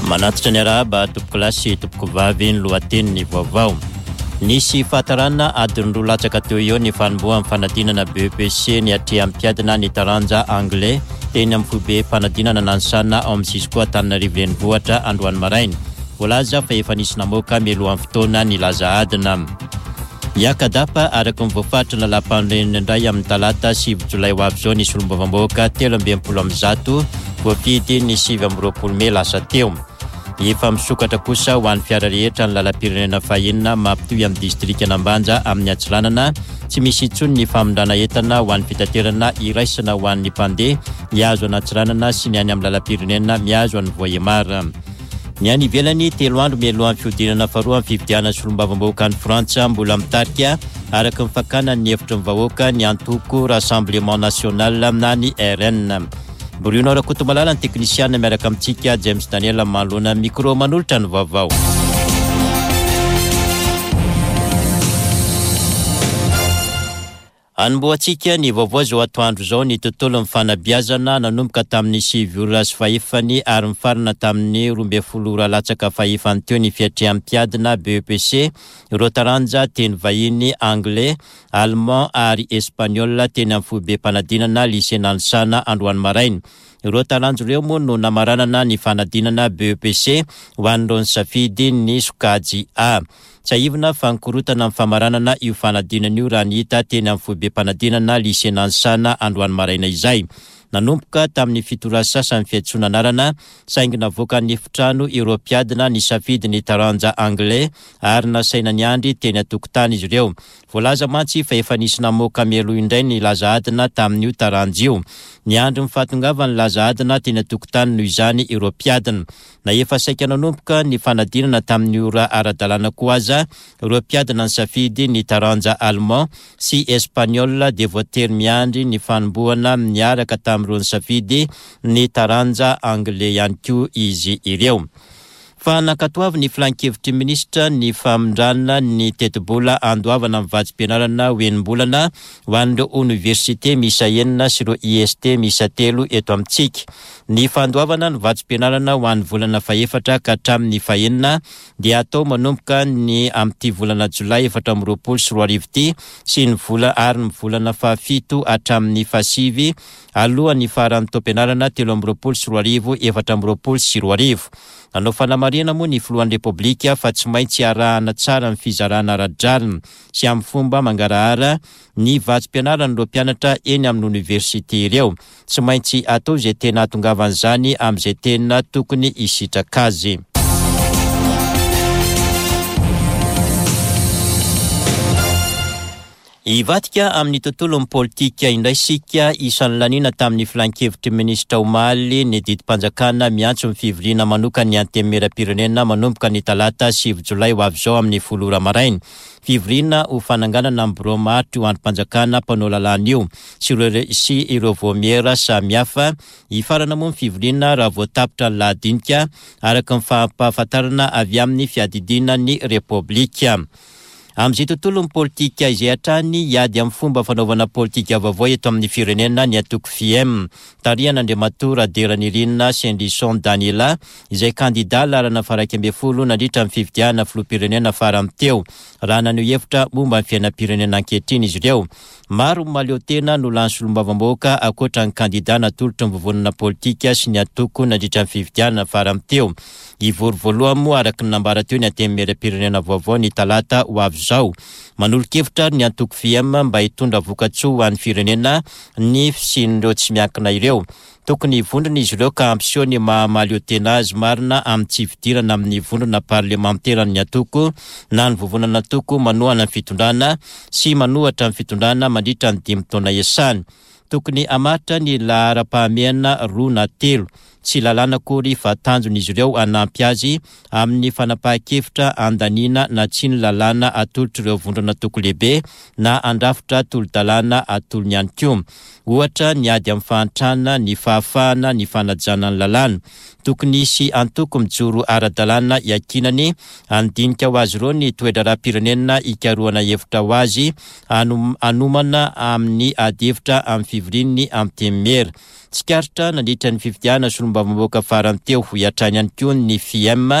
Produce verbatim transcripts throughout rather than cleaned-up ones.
Manatitra ny arahaba tompokolahy sy tompokovavy ny lohatenin'ny vaovao. Nisy fahatarana adiny roa latsaka teo eo ny fanombohan'ny fanadinana B E P C ny atrehan'ny mpiadina ny taranja anglais teny amin'ny foibe fanadinana Nanisana ao amin'ny Cisco Antananarivo renivohitra androany maraina. Voalaza fa efa nisy namoaka mialohan'ny fotoana ny laza adina. Hiaka-dapa araka ny voafaritra lalàm-panorenana indray amin'ny talata sivy jolay ho avy izao ny solombavambahoaka telo amby enimpolo amby zato voafidy ny sivy amby roapolo mey lasa teo. Efa misokatra kosa ho an'ny fiara rehetra ny lalam-pirenena fahenina mampitohy amin'ny distrika Ambanja amin'ny Antsiranana. Tsy misy intsony ny famindrana entana ho an'ny fitaterana iraisana ho an'ny mpandeha miazo an'Antsiranana sy ny any amin'ny lalam-pirenena miazo an'ny Vohemar. Ny any ivelany, telo andro mialohan'ny fihodinana faharoa amin'ny fifidianana solombavambahoaka any Frantsa, mbola mitarika araka ny fakana ny hevitry ny vahoaka ny antoko Rassemblement National na ny R N. Bruno Rakotomalala ny teknisiana miaraka amintsika, James Daniel manoloana micro manolotra ny vaovao. Anombohantsika ny vaovao zao atoandro zao ny tontolo ny fanabeazana. Nanomboka tamin'ny sivy ora sy fahefany ary mifarana tamin'ny roa amby folo ora latsaka fahefany teo ny fiatrehan'ny mpiadina B E P C ireo taranja teny vahiny anglais, allemand ary espagnol teny amin'ny foibe mpanadinana lycée Nanisana androany maraina. Ireo taranja ireo moa no namaranana ny fanadinana B E P C ho an'ireo nisafidy ny sokajy A. Tsiahivina fa nikorotana amin'ny famaranana io fanadinana io raha ny hita teny amin'ny foibe mpanadinana lycée Nanisana androany maraina izay. Nanomboka tamin'ny fito ora sasany fiantsoana anarana, saingy navoaka ny efitrano ireo mpiadina nisafidy ny taranja anglais ary nasaina niandry teny an-tokotany izy ireo. Voalaza mantsy fa efa nisy namoaka mialoha indray ny laza adina tamin'io taranja io. Niandry ny fahatongavan'ny laza adina teny an-tokotany noho izany ireo mpiadina. Na efa saika nanomboka ny fanadinana tamin'ny ora ara-dalàna koa aza ireo mpiadina nisafidy ny taranja allemand sy espagnol, dia voatery miandry ny fanombohana miaraka tamin'ireo nisafidy ny taranja anglais ihany koa izy ireo. Fa nankatoavy ny filan-kevitry minisitra ny famindrana ny tetibola andoavana amin'ny vatsim-pianarana ho enim-bolana ho an'ireo oniversite miisa enina sy ireo I S T miisa telo eto amintsika. Ny fandoavana ny vatsim-pianarana ho an'ny volana fahefatra ka hatramin'ny fahenina dia atao manomboka ny amin'ity volana jolay efatra amby roapolo sy roa arivo ity sy ny vola ary ny volana fahafito hatramin'ny fahasivy alohan'ny faran'ny taom-pianarana telo amby roapolo sy roa arivo efatra amby roapolo sy roa arivo. Nanao fanamarihana moa ny filohan'ny Repoblika fa tsy maintsy arahana tsara ny fizarana ara-drariny sy amin'ny fomba mangarahara ny vatsim-pianaran'ireo mpianatra eny amin'ny oniversite ireo. Tsy maintsy atao izay tena hahatongavan'izany amin'izay tena tokony hisitraka azy. Hivadika amin'ny tontolo ny politika indray sika. Isan'ny lanina tamin'ny filan-kevitry minisitra omaly ny didim-panjakana miantso ny fivoriana manokana ny antenimieram-pirenena manomboka ny talata sivy jolay ho avy izao amin'ny folo ora maraina. Fivoriana ho fananganana ny birao maharitra io andrim-panjakana mpanao lalàna io sy ireo sy ireo vaomiera samihafa. Hifarana moa ny fivoriana raha voatapitra ny lahadinika araka ny fampahafantarana avy amin'ny fiadidiana ny Repoblika. Amin'izay tontolo ny politika izay hatrany, hiady amin'ny fomba fanaovana politika vaovao eto amin'ny firenena ny antoko F I E M tarihan'Andriamatoa Raderanirina Sendrison Daniela, izay kandida laharana faha-iraika ambin'ny folo nandritra ny fifidianana filoham-pirenena farany teo, raha naneho hevitra momba ny fiainam-pirenena ankehitriny izy ireo. Maro mahaleo tena no lany solombavambahoaka ankoatra ny kandida natolotry ny vovonana politika sy ny antoko nandritra ny fifidianana farany teo. Hivory voalohany moa araka ny nambara teo ny antenimieram-pirenena vaovao ny talata ho avy izao. Manolo-kevitra ny antoko F I E M mba hitondra vokatsoa ho an'ny firenena ny fisian'ireo tsy miankina ireo. Tokony vondrona izy ireo ka hampiseho ny maha-mahaleo tena azy marina amin'ny tsy fidirana amin'ny vondrona parlementeran'ny antoko na ny vovonana antoko manohana ny fitondrana sy manohitra ny fitondrana mandritra ny dimy taona iasany. Tokony hamaritra ny laharam-pahamehana roa na telo, tsy lalàna akory fa tanjona izy ireo, hanampy azy amin'ny fanapahan-kevitra andaniana na tsy ny lalàna atolotra ireo vondrona antoko lehibe na handrafitra tolo-dalàna atolony ihany koa. Ohatra, ny ady amin'ny fahantrana, ny fahafahana, ny fanajana ny lalàna. Tokony hisy antoko mijoro ara-dalàna iankinany handinika ho azy ireo ny toe-draharaham-pirenena, hikarohana hevitra ho azy, hanomana amin'ny ady hevitra amin'ny fivorian'ny antenimiera. Tsikaritra nandritra ny fifidianana solombavambahoaka farany teo hatrany ihany koa ny F I M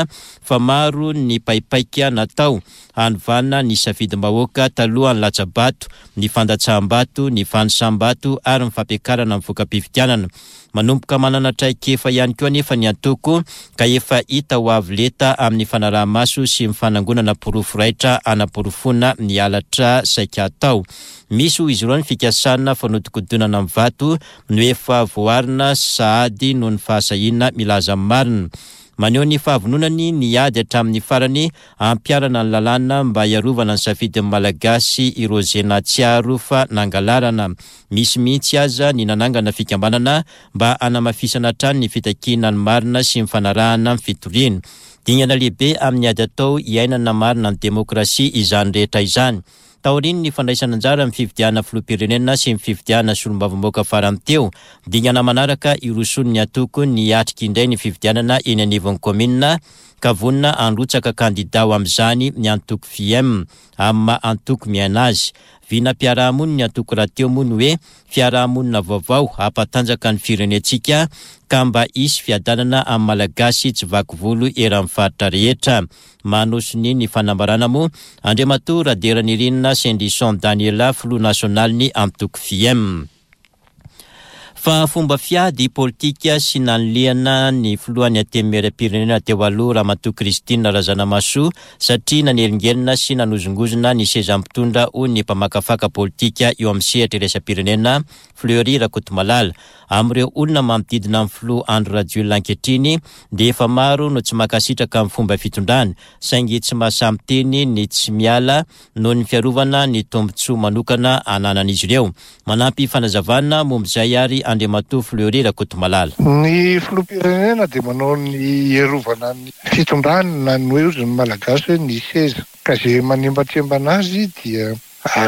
fa maro ny paipaika natao hanovana ny safidim-bahoaka talohan'ny latsa-bato, ny fandatsaham-bato, ny fanisam-bato ary ny fampiakarana ny voka-pifidianana. Manomboka manana traikefa ihany koa anefa ny antoko ka efa hita ho avo lenta amin'ny fanaraha-maso sy ny fanangonana porofo raitra anaporofoana ny halatra saika atao. Misy ho izy ireo ny fikasana fanodikodonana amin'ny vato no efa voarina sahady noho ny fahasahiana milaza marina. Maneho ny fahavononany ny ady hatramin'ny farany ampiharana ny lalàna mba hiarovana ny safidin'ny Malagasy ireo izay nahatsiaro fa nangalarana. Misy mihitsy aza ny nanangana fikambanana mba hanamafisana hatrany ny fitakiana ny marina sy ny fanarahana ny fitoriana. Dingana lehibe amin'ny ady atao iainana marina ny demokrasia izany rehetra izany. Taorian'ny fandraisana anjara amin'ny fifidianana filoham-pirenena sy ny fifidianana solombavambahoaka farany teo, dingana manaraka iroson'ny antoko ny hiatrika indray ny fifidianana eny anivon'ny kaominina ka vonona handrotsaka kandida ho amin'izany ny antoko F I M amin'ny maha antoko miaina azy. Vinam-piarahamonina ny antoko rahateo moa ny hoe fiarahamonina vaovao hampatanjaka ny firenentsika ka mba hisy fiadanana amin'ny Malagasy tsy vaky volo eran'ny faritra rehetra. Manosony ny fanambarana moa Andriamatoa Raderanirina Sendison Daniela, filoha nasionaly ny antoko F I M. Fa fomba fiady politika sy nanilihana ny filohan'ny antenimieram-pirenena teo aloha Ramatoa Christine Razanamahasoa satria nanelingelina sy nanozongozona ny seza mpitondra, hoy ny mpamakafaka politika eo amin'ny sehatra iraisam-pirenena Fleury Rakotomalala. Amin'ireo olona manodidina amin'ny filoha Andry Rajoelina ankehitriny dia efa maro no tsy mankasitraka amin'ny fomba fitondrany, saingy tsy mahasahy miteny ny tsy miala noho ny fiarovana ny tombontsoa manokana ananan'izy ireo. Manampy fanazavana momba izay ary Andriamatoa Fleury Rakotomalala. Ny filoham-pirenena dia manao ny hiarovana ny fitondrany na ny hoe ozy ny Malagasy hoe ny seza, ka zay manembatsembana azy dia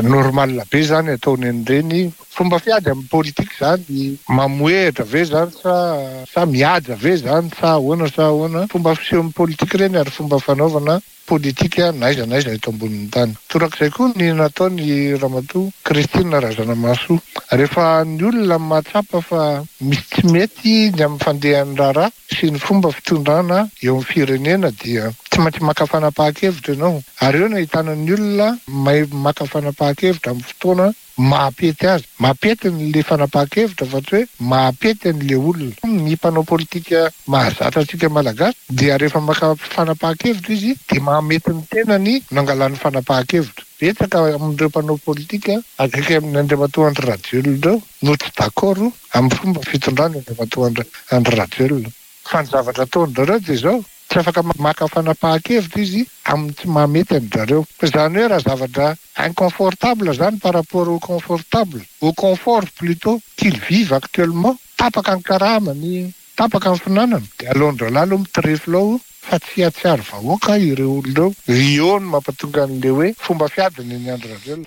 normal be zany ataony an'ireny. Fomba fiady amin'ny politika zany, mamoehitra ve zany sa sa mihaja ve zany sa ahoana sa ahoana? Fomba fiseho amin'ny politika ireny ary fomba fanaovana politika n'aiza n'aiza eto ambonin'ny tany. Torak'izay koa ny nataony Ramatoa Christine Razanamahasoa. Rehefa ny olona mahatsapa fa misy tsy mety ny amin'ny fandehan'ny raharaha sy ny fomba fitondrana eo amin'ny firenena dia tsy maintsy maka fanapahan-kevitra ianao, ary eo no ahitana ny olona mahay maka fanapahan-kevitra amin'ny fotoana mampety azy, mampety n'le fanapahan-kevitra fa tsy hoe mampety an'le olona. Ny mpanao politika mahazatra antsika Malagasy dia rehefa maka fanapahan-kevitra izy dia mahamety ny tenany nangalany fanapahan-kevitra. Betsaka amin'ireo mpanao politika akaiky amin'ny Andriamatoa Andry Rajoelina ireo no tsy d'accord amin'ny fomba fitondrany Andriamatoa Andry Rajoelina, fa ny zavatra ataon-drareo dia zao: tsy afaka maka fanapahan-kevitra izy amin'ny tsy mahamety an-drareo. Fa zany hoe raha zavatra inconfortable zany par rapport au confortable, au confort plutôt qu'ils vivent actuellement, tapaka ny karamany, tapaka ny finanana, dia aleon-dralahy aloha mitrefila ao fa tsy hatsiaro vahoaka ireo olona ireo. Io no mampatonga an'le hoe fomba fiadiny ny Andry Rajoelina.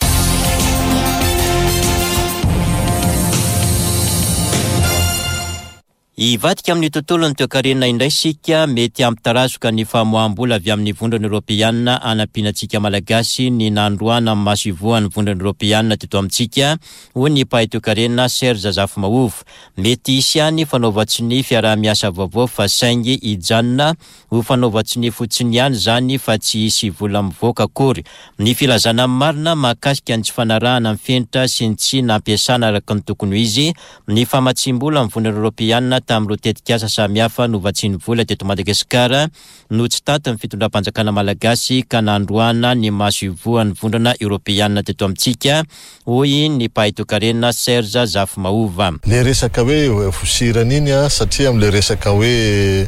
Hivadika amin'ny tontolo ny toekarena indray sika. Mety hampitarazoka ny famoaham-bola avy amin'ny Vondrona Eoropeanina anampiana antsika Malagasy ny nandroana amin'ny masoivohon'ny Vondrona Eoropeanina teto amintsika, hoy ny mpahay toekarena Serge Zafimahova. Mety hisy ihany fanaovan-tsonia fiaraha-miasa vaovao fa saingy hijanona ho fanaovan-tsonia fotsiny ihany zany fa tsy hisy vola mivoaka akory. Ny filazana marina mahakasika ny tsy fanarahana ny fenitra sy ny tsy nampiasana araka ny tokony ho izy ny famatsim-bola amin'ny Vondrona Eoropeanina tamin'ireo tetikasa samihafa novatsian'ny vola teto Madagasikara no tsy taty ny fitondram-panjakana malagasy ka nandroana ny masoivohon'ny Vondrona Eoropeanina teto amintsika, hoy ny mpahay toekarena Serge Zafimahova. Le resaka hoe vosirana iny a, satria am'le resaka hoe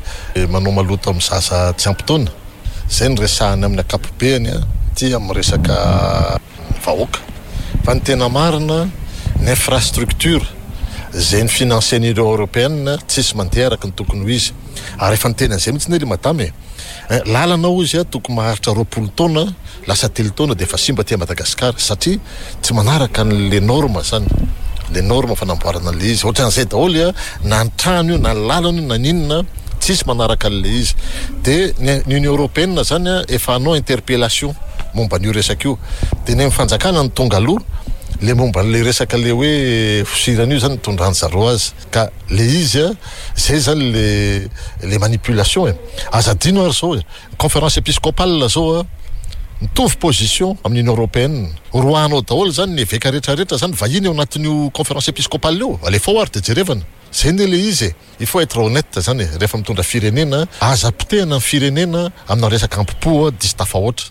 manao maloto amin'ny zaza tsy ampy taona zay ny resahany amin'ny akapobeany a, ty amin'ny resaka vahoaka. Fa ny tena marina, ny infrastructure zay ny financen'ireo européenne tsisy mandeha araka ny tokony ho izy, ary efa niteny an'izay mihitsy ne le madame e. Lalana ozy a, tokony maharitra roapolo taona, lasa telo taona de efa simba ty Madagasikara satria tsy manaraka n'le norme zany, le norme fanamboarana an'le izy. Ohatran'izay daholy a, na ny trano io na ny lalana io na ninona, tsisy manaraka an'le izy. De ny Union européenne zany a efa hanao interpellation momba an'io resaka io, de ny amin'ny fanjakana ny tonga aloha. Le momba an'le resaka le hoe fosirana io zany nitondran zareo azy, ka le izy a zay zany le le manipulation e. Aza adino ary zao e, conférence épiscopale zao a mitovy position amin'ny Union européenne, roahanao daholo zany ny eveka rehetrarehetra zany vahiny eo anatin'io conférence épiscopale io, alefao ary de jerevana zay ne le izy e. Il faut être honnête zany e, rehefa mitondra firenena, aza potehana ny firenena amina resaka ampipo diso tafahoatra.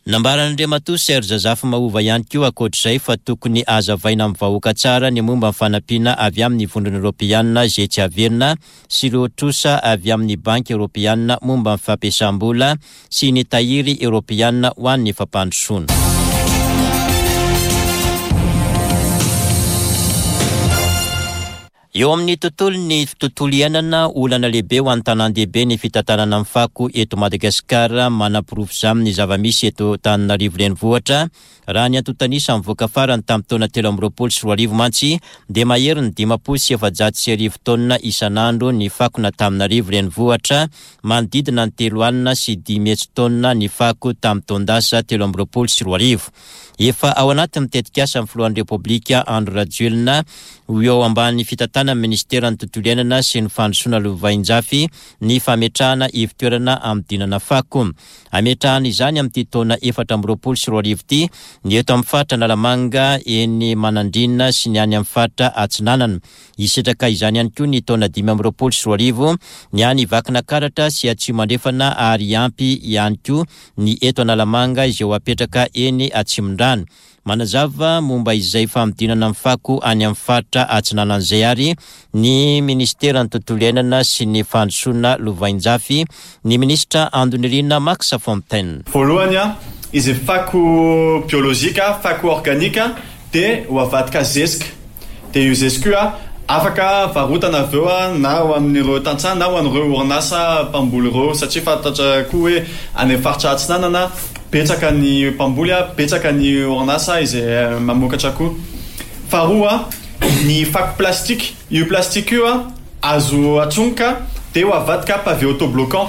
Nambaran'Andriamatoa Serge Zafimahova ihany koa ankoatr'izay fa tokony hazavaina amin'ny vahoaka tsara ny momba ny fanampiana avy amin'ny vondrona eoropeanina izay tsy averina sy ireo trosa avy amin'ny banky eoropeanina momba ny fampiasam-bola sy ny tahiry eoropeanina ho an'ny fampandrosoana. Eo amin'ny tontolon'ny tontolo iainana, olana lehibe ho an'ny tanàn-dehibe ny fitantanana ny fako eto Madagasikara. Manaporofo izany ny zava-misy eto Antananarivo renivohitra. Raha ny antontanisa mivoaka farany tamin'ny taona telo amby roapolo sy roa arivo mantsy dia mahery ny dimampolo sy efajato sy arivo taonina isan'andro ny fako n'Antananarivo renivohitra, manodidina ny telo alina sy dimy hetsy taonina ny fako tamin'ny taon-dasa telo amby roapolo sy roa arivo. Efa ao anatin'ny tetikasa ny filohan'ny Repoblika Andry Rajoelina ho eo ambany fitantanan'ny ministeran'ny tontolo iainana sy ny fandrosoana lovainjafy ny fametrahana ivon-toerana amidinana fako. Ametrahana izany amin'ity taona efatra amby roapolo sy roa arivo ity ny eto amin'ny faritra Analamanga, eny Manandrina sy ny any amin'ny faritra Atsinanana. Hisitraka izany ihany koa ny taona dimy amby roapolo sy roa arivo ny any Vakinakaratra sy Atsimo Andrefana ary ampy ihany koa ny eto Analamanga izay ho apetraka eny Atsimondrano. Manazava momba izay famidinana ny fako any amin'ny faritra Atsinanana izay ary ny ministeran'ny tontolo iainana sy ny fandrosoana lovainjafy, ny ministra Andonirina Max Fontaine. Voalohany a, izay fako biolojika, fako organika dia ho avadika zezika. Dia io zezika io a afaka varotana avy eo a na ho amin'ireo tantsaha na ho an'ireo orinasa mpamboly ireo, satria fantatra koa hoe any amin'ny faritra Atsinanana betsaka ny mpamboly a, betsaka ny orinasa izay mamokatra koa. Faharoa, ny fako plastika. Io plastika io a azo atsongoka dia ho avadika pavé autobloquant.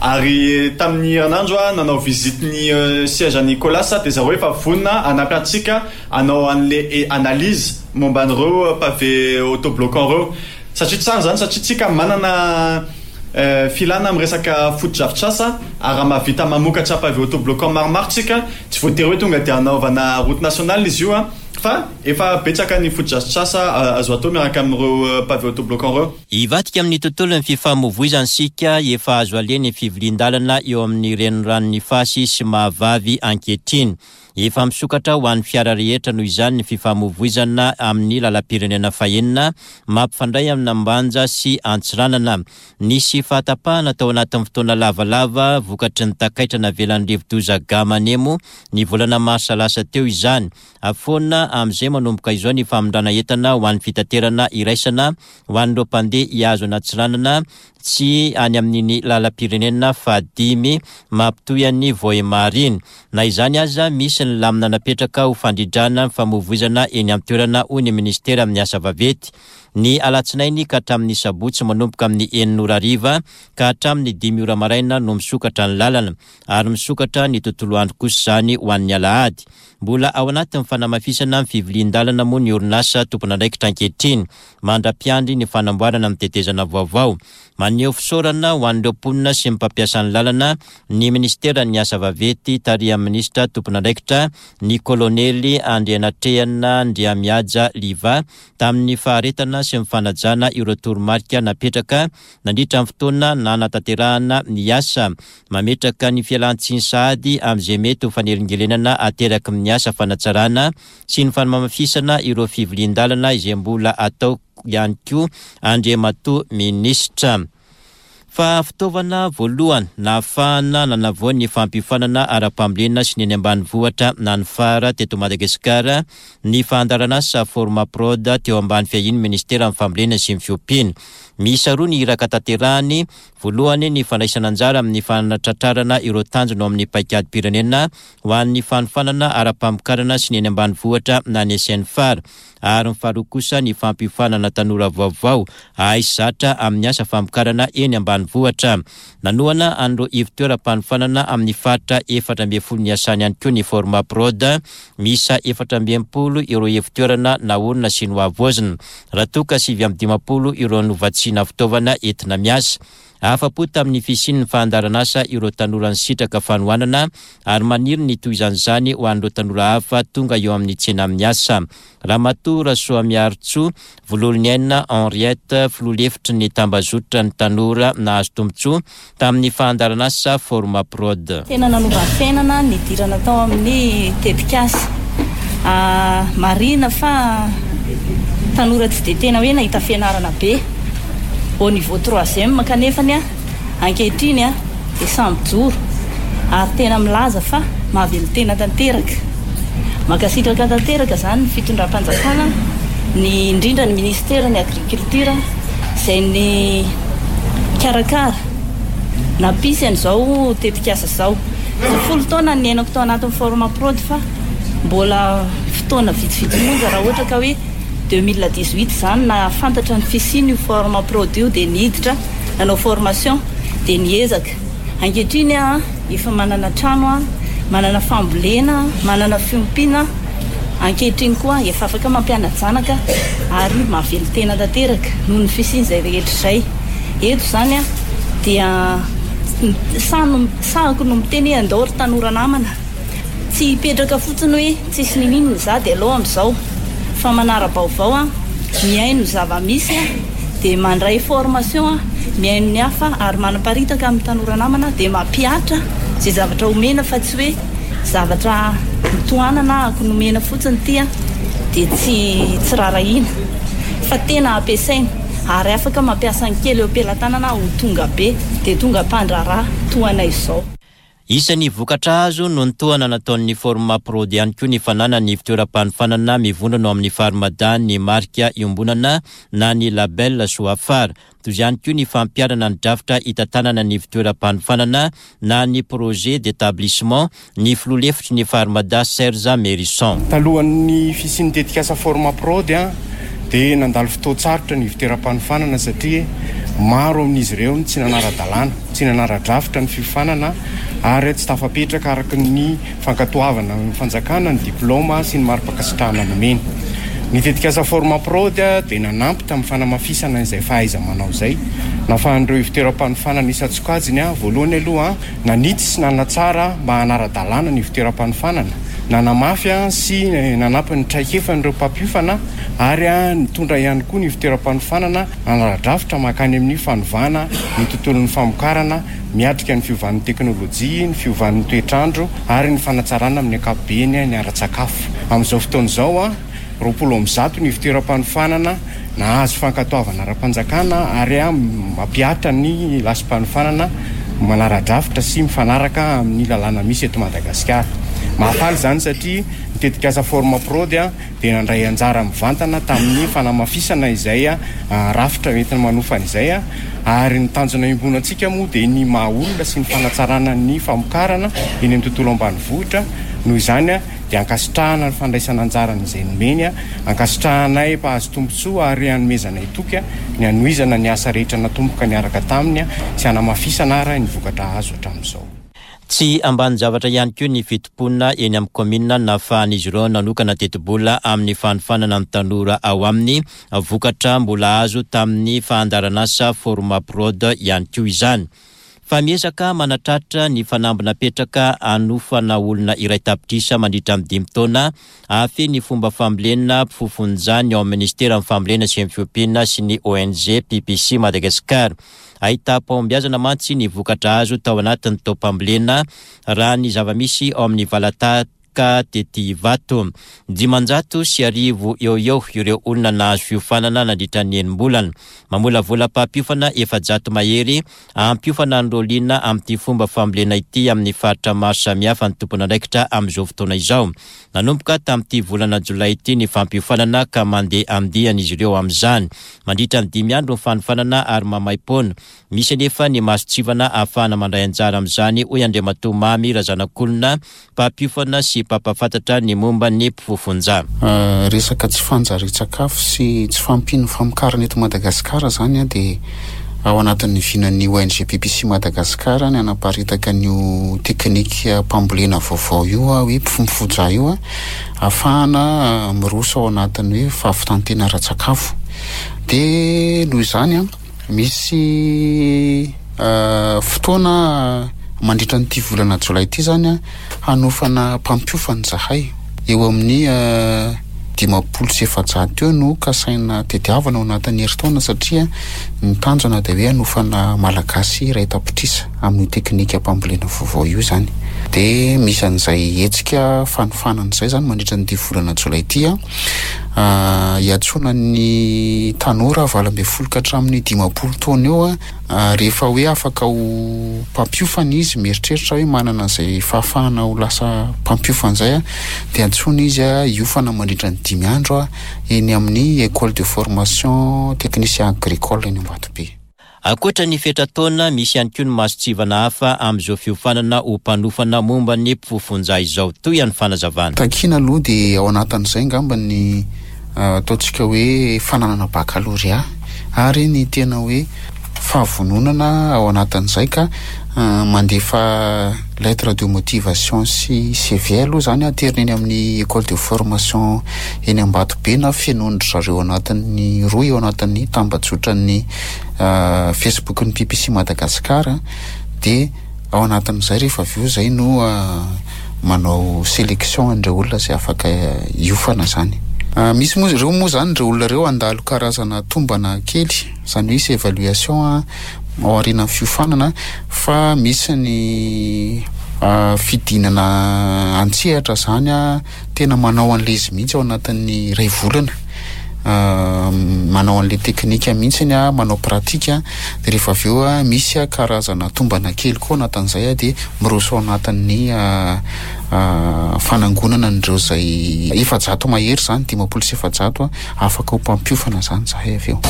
Ary tamin'ny herinandro a nanao visite ny siège an'ny Colas dia zareo efa vonona hanampy antsika hanao an'le analyse momba an'ireo pavé autobloquant ireo. Satria tsara zany, satria tsika manana filana amin'ny resaka fotodrafitrasa, ary raha mahavita mamokatra pavé autobloquant maromaro tsika, tsy voatery hoe tonga dia hanaovana route nationale izy io a, fa efa betsaka ny fotodrafitrasa azo atao miaraka amin'ireo pavé autobloquant ireo. Hivadika amin'ny tontolon'ny fifamoivoizana isika, efa azo aleha ny fivilian-dalana eo amin'ny reniranon'ny Fasy sy Mahavavy ankehitriny. Efa misokatra ho an'ny fiara rehetra noho izany ny fifamoivoizana amin'ny lalam-pirenena fahenina mampifandray amin'Ambanja sy Antsiranana. Nisy fahatapahana tao anatin'ny fotoana lavalava vokatry ny takaitra navelan'ny rivodoza Gamanemo ny volana marsa lasa teo izany. Afoana amin'izay manomboka izao ny famindrana entana ho an'ny fitaterana iraisana ho an'ireo mpandeha hihazo an'Antsiranana tsy any amin'iny lalam-pirenena fahadimy mampitohy an'ny Vohemar iny. Na izany aza, misy ny lamina napetraka ho fandridrana ny famoivoizana eny amin'ny toerana, hoy ny ministera amin'ny asa vaventy. Ny alatsinainy ka hatramin'ny sabotsy manomboka amin'ny enina ora hariva ka hatramin'ny dimy ora maraina no misokatra ny lalana, ary misokatra ny tontolo andro kosa izany ho an'ny alahady. Mbola ao anatin'ny fanamafisana ny fivilian-dalana moa ny orinasa tompon'andraikitra ankehitriny mandra-piandry ny fanamboarana amin'ny tetezana vaovao. Maneho fisaorana ho an'ireo mponina sy ny mpampiasa ny lalana ny ministeran'ny asa vaventy tarihan'ny ministra tompon'andraikitra ny kolonely Andrianatrehana Andriamihaja Liva tamin'ny faharetana sy ny fanajana ireo toromarika napetraka nandritra ny fotoana nanatanterahana ny asa. Mametraka ny fialantsiny sahady amin'izay mety ho fanelingelenana ateraky ny asa fanatsarana sy ny fanamafisana ireo fivilian-dalana izay mbola atao ihany koa Andriamatoa ministra. Fa fitaovana voalohany nahafahana nanavao ny fampiofanana ara-pambolena sy ny eny ambanivohitra na ny fara teto Madagasikara ny fandaharanasa Formaprod teo ambany fiahian'ny ministeran'ny fambolena sy ny fiompiana. Miisa roa ny iraka tanterahany. Voalohany ny fandraisana anjara amin'ny fanatratrarana ireo tanjona ao amin'ny paikadym-pirenena ho an'ny fanofanana ara-pamokarana sy ny eny ambanivohitra na ny S N F A R. Ary ny faharoa kosa ny fampiofanana tanora vaovao hahay zatra amin'ny asa famokarana eny ambanivohitra. ambanivohitra. Nanohana an'ireo ivon-toeram-panofanana amin'ny faritra efatra ambin'ny folo niasany ihany koa ny Formaprod. Miisa efatra amby enimpolo ireo ivon-toerana naorina sy nohavaozina, raha toa ka sivy amby dimampolo ireo novatsiana fitaovana entina miasa. Afa-po tamin'ny fisian'ny fandaharanasa ireo tanora nisitraka fanohanana ary maniry ny tohizan'izany ho an'ireo tanora hafa tonga eo amin'ny tsena amin'ny asa. Ramatoa Rasoamiarintsoa Vololoniaina Henriette, filoha lefitry ny tambazotra ny tanora nahazo tombontsoa tamin'ny fandaharanasa Formaprod. Tena nanova fiainana nidirana tao amin'ny tetikasa. Marihina fa tanora tsy dia tena hoe nahita fianarana be au niveau troisième, kanefany a ankehitriny a dia samy mijoro ary tena milaza fa mahavelon-tena tanteraka. Mankasitraka tanteraka zany ny fitondram-panjakana, ny indrindra ny ministera ny agriculture izay ny karakara nampisy an'izao tetikasa izao. Folo taona ny niainako tao anatin'ny Formaprod fa mbola fotoana vitsivitsy monja raha ohatra ka hoe deux mille dix-huit zany nahafantatra ny fisian'io Formaprod io dia niditra nanao formation dia niezaka. Ankehitriny a efa manana trano a, manana fambolena, manana fiompiana. Ankehitriny koa efa afaka mampiana-janaka ary mahavelon-tena tanteraka noho ny fisian'izay rehetra izay. Eto zany a dia sano sahako no miteny hoe andao ry tanora namana, tsy hipetraka fotsiny hoe tsisy nininona za dia aleo amin'izao fa manara-baovao a, mihaino ny zava-misy a, dia mandray formation a, mihaino ny hafa ary manaparitaka amin'ny tanora namana dia mampihatra izay zavatra omena fa tsy hoe zavatra mitohanana ako nomena fotsiny ity a dia tsy tsy rarahina fa tena ampiasaina ary afaka mampiasa ny kely eo am-pelatanana ho tonga be dia tonga mpandraharaha toa anay izao. Isan'ny vokatra azo no nitohana nataon'ny Formaprod ihany koa ny fananany fitoeram-panofanana mivondrona ao amin'ny Farmada ny marika iombonana na ny label Soafara. Toy izany koa ny fampiharana ny drafitra hitantanana ny fitoeram-panofanana na ny projet d'établissement ny filoha lefitry ny Farmada Serge Mérison. Talohan'ny fisian'ny tetikasa Formaprod a dia nandalo fotoan-tsarotra ny fitoeram-panofanana satria maro amin'izy ireo no tsy nanara-dalàna, tsy nanara-drafitra ny fiofanana ary tsy tafapetraka araka ny fankatoavana ny fanjakana ny diplaoma sy ny mari-pankasitrahana nomeny. Ny tetikasa Formaprod dia nanampy tamin'ny fanamafisana izay fahaiza-manao izay. Nahafahan'ireo fitoeram-panofanana isan-tsokajiny a, voalohany aloha nanitsy sy nanatsara mba hanara-dalàna ny fitoeram-panofanana, nanamafy sy nanampy ny traikefan'ireo mpampiofana ary nitondra ihany koa ny fitoeram-panofanana hanara-drafitra mankany amin'ny fanovana ny tontolon'ny famokarana miatrika ny fiovan'ny teknôlôjia, ny fiovan'ny toetrandro ary ny fanatsarana amin'ny ankapobeny ny ara-tsakafo. Amin'izao fotoana izao a roapolo amby zato ny fitoeram-panofanana nahazo fankatoavana ara-panjakana ary mampihatra ny lasim-panofanana manara-drafitra sy mifanaraka amin'ny lalàna misy eto Madagasikara. Mahafaly izany satria ny tetikasa Formaprod dia nandray anjara mivantana tamin'ny fanamafisana izay rafitra entina manofana izay ary ny tanjona iombonantsika moa dia ny maha olona sy ny fanatsarana ny famokarana eny amin'ny tontolo ambanivohitra. Noho izany dia ankasitrahana ny fandraisana anjarana izay nomeny, ankasitrahanay mpahazo tombontsoa ary hanomezanay toky ny hanohizana ny asa rehetra natomboka niaraka taminy sy hanamafisana ary ny vokatra azo hatramin'izao. Tsy ambanin-javatra ihany koa ny fitompoana eny amin'ny kaominina nahafahan'izy ireo nanokana tetibola amin'ny fanofanana ny tanora ao aminy, vokatra mbola azo tamin'ny fandaharanasa Formaprod ihany koa izany. Fa miezaka manatratra ny fanamby napetraka hanofana olona iray tapitrisa mandritra ny dimy taona ahafehy ny fomba fambolena mpifofonjany ao amin'ny ministeran'ny fambolena sy ny fiompiana sy ny O N G P P C Madagascar. Ahitam-pahombiazana mantsy ny vokatra azo tao anatin'ny taom-pambolena raha ny zava-misy ao amin'ny valataka tety Ivato. Dimanjato sy arivo eo eo ireo olona nahazo fiofanana nandritra ny enim-bolana. Mamolavola mpampiofana efajato mahery hampiofana ny roliana amin'ity fomba fambolena ity amin'ny faritra maro samihafa ny tompon'andraikitra amin'izao fotoana izao. Nanomboka tamin'ity volana jolay ity ny fampiofanana ka mandeha andiany izy ireo amin'izany. Mandritra ny dimy andro ny fanofanana ary maimaim-poana. Misy anefa ny mason-tsivana ahafahana mandray anjara amin'izany, hoy Andriamatoa Mamy Razanakolona, mpampiofana sy mpampahafantatra ny momba ny mpifofonja. Euh, resaka tsy fanjarian-tsakafo sy tsy fahampian'ny famokarana eto Madagasikara zany a dia Ao anatin'ny vinan'ny O N G P P C Madagascar ny anaparitaka an'io teknika-pambolena vaovao io a, hoe Mpifomfoja io a, ahafahana miroso ao anatin'ny hoe fahavitantena ara-tsakafo. De noho izany a, misy fotoana mandritra n'ity volana jolay ity zany a, hanofana mpampiofana zahay. Eo amin'ny dimampolo sy efajato eo no kasaina tediavana ao anatin'ny herintaona, satria ny tanjona de hoe hanofana Malagasy iray tapitrisa amin'ny teknika mpambolena vaovao io zany. De misy an'izay hetsika fanofanana izay zany mandritra n'ity volana jolay ity a, hiantsoana ny tanora valo amby folo ka hatramin'ny dimampolo taona eo a, rehefa hoe afaka ho mpampiofana izy, mieritreritra hoe manana an'izay fahafahana ho lasa mpampiofana zay a, de antsoina izy a hiofana mandritra ny dimy andro a, eny amin'ny école de formation technicien agricole eny Ambatobe. Ankoatra ny fetra-taona, misy ihany koa ny mason-tsivana hafa amin'izao fiofanana ho mpanofana momba ny mpifofonja izao, toy ny fanazavana. Takina aloha de ao anatin'izay ngamba ny ataontsika hoe fananana baccalauréat ary ny tena hoe fahavononana ao anatin'izay, ka mandefa lettre de motivation sy C V aloha zany aterina eny amin'ny école de formation eny Ambatobe, na fenoin-dry zareo anatin'ny roa eo anatin'ny tambajotran'ny Facebook ny P P C Madagascar. De ao anatin'izay rehefa avy eo zay no manao sélection an'ireo olona zay afaka hiofana zany. Misy moa reo moa zany, reo olona reo andalo karazana tombana kely zany, hoe isy évaluation a ao aorian'ny fiofanana, fa misy ny fidinana antsehatra zany a, tena manao an'le izy mihitsy ao anatin'ny ray volana, manao an'le teknika mihitsiny a, manao pratika. De rehefa avy eo a, misy a karazana tombana kely koa anatin'izay a, de miroso ao anatin'ny fanangonana an'ireo zay efajato mahery zany, dimampolo sy efajato a, afaka ho mpampiofana zany zahay avy eo.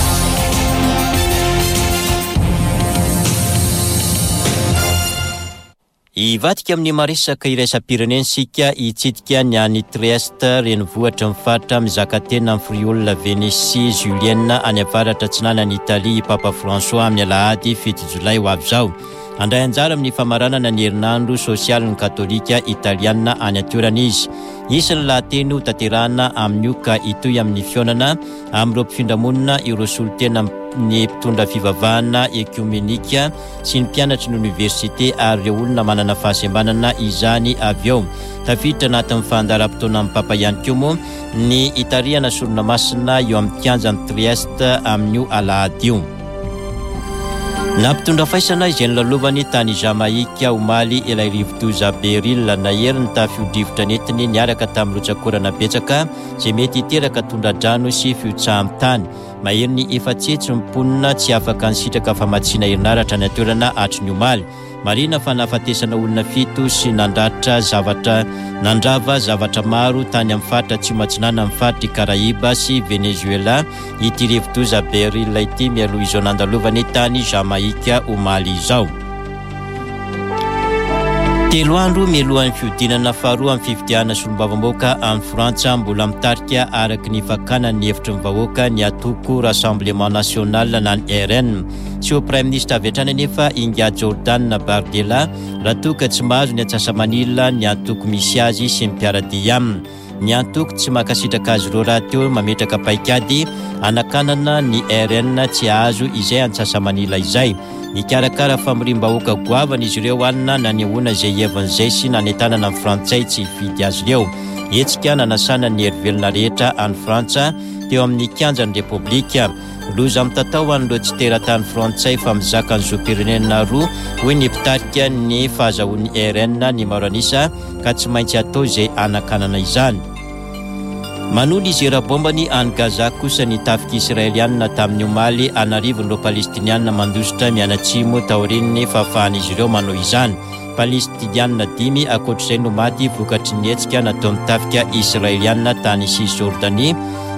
Hivadika amin'ny maresaka iraisam-pirenena isika, hitsidika ny any Trieste, renivohitra ny faritra mizaka tena amin'ny Friuli Venezia Giulia any avaratra atsinanan'i Italia, Papa François amin'ny alahady fito jolay ho avy izao. Handray anjara amin'ny famaranana ny herinandro sosialin'ny katolika italiana any an-toerana izy. Hisy ny lahateny ho tanterahana amin'io, ka hitohy amin'ny fihaonana amin'ireo mpifindramonina, ireo solontena ny mpitondra fivavahana ekomenika sy ny mpianatry ny oniversite ary ireo olona manana fahasembanana izany avy eo. Tafiditra anatin'ny fandaharam-potoana amin'ny Papa ihany koa moa ny hitarihana sorona masina eo amin'ny kianjan'i Trieste amin'io alahady io. Nampitondra faisana izay nolalovany tany Jamaika omaly ilay rivodoza Beryl. Nahery ny tafio-drivotra nentiny niaraka tamin'ny rotsakorana betsaka izay mety hiteraka tondradrano sy fihotsahan'ny tany. Mahery ny efatsetsy ny mponina tsy afaka nisitraka famatsiana herinaratra ny an-toerana hatry ny omaly. Marina fa nahafatesana olona fito sy nandratra zavatra, nandrava zavatra maro tany amin'ny faritra atsimo atsinanana amin'ny faritry Karaiba sy Venezuela ity rivodoza Beryl ity, mialoha izao nandalovany tany Jamaika omaly izao. Telo andro mialohan'ny fihodinana faharoa amin'ny fifidianana solombavambahoaka amin'ny Frantsa, mbola mitarika araka ny fakana ny hevitry ny vahoaka ny atoko Rassemblement National na ny R N. Tsy ho premier ministre avy hatrany anefa ingahy Jordan Bardella raha toa ka tsy mahazo ny antsasamanila ny antoko misy azy sy ny mpiara-dia aminy. Ny antoko tsy mankasitraka azy ireo raha teo mametraka paikady anakanana ny R N tsy hahazo izay antsasamanila izay. Nikarakara famorim-bahoaka goavana izy ireo alina nanehoana izay hevin'izay sy nanentanana ny Frantsay tsy hifidy azy ireo. Hetsika nanasana ny herivelona rehetra any Frantsa teo amin'ny kianjan'ny Repoblika. Loza mitatao an'ireo tsy teratany frantsay fa mizaka ny zom-pirenena roa, hoy ny mpitarika ny fahazahoan'ny R N ny maro anisa, ka tsy maintsy atao izay anakanana izany. Manohy ny zera bombany any Gaza kosa ny tafika israelianina tamin'ny omaly. Anarivon'ireo Palestinianina mandositra mianatsimo taorian'ny fahafahan'izy ireo manao izany. Palestinianina dimy ankoatr'izay no maty vokatry ny hetsika nataon'ny tafika israelianina tany Cisjordanie.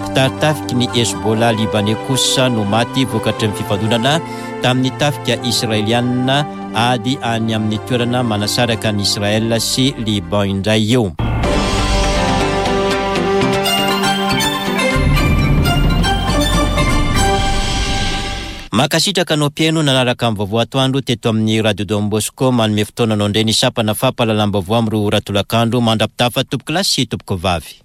Mpitari-tafiky ny Hezbollah libanais kosa no maty vokatry ny fifandonana tamin'ny tafika israelianina. Ady any amin'ny toerana manasaraka ny Israel sy Liban indray io. Mankasitraka anao mpihaino nanaraka ny vaovao atoandro teto amin'ny Radio Don Bosco. Manome fotoana anao indray ny sampana fampahalalam-baovao amin'ny roa ora tolakandro. Mandra-pitafa, tompokolahy sy tompokovavy.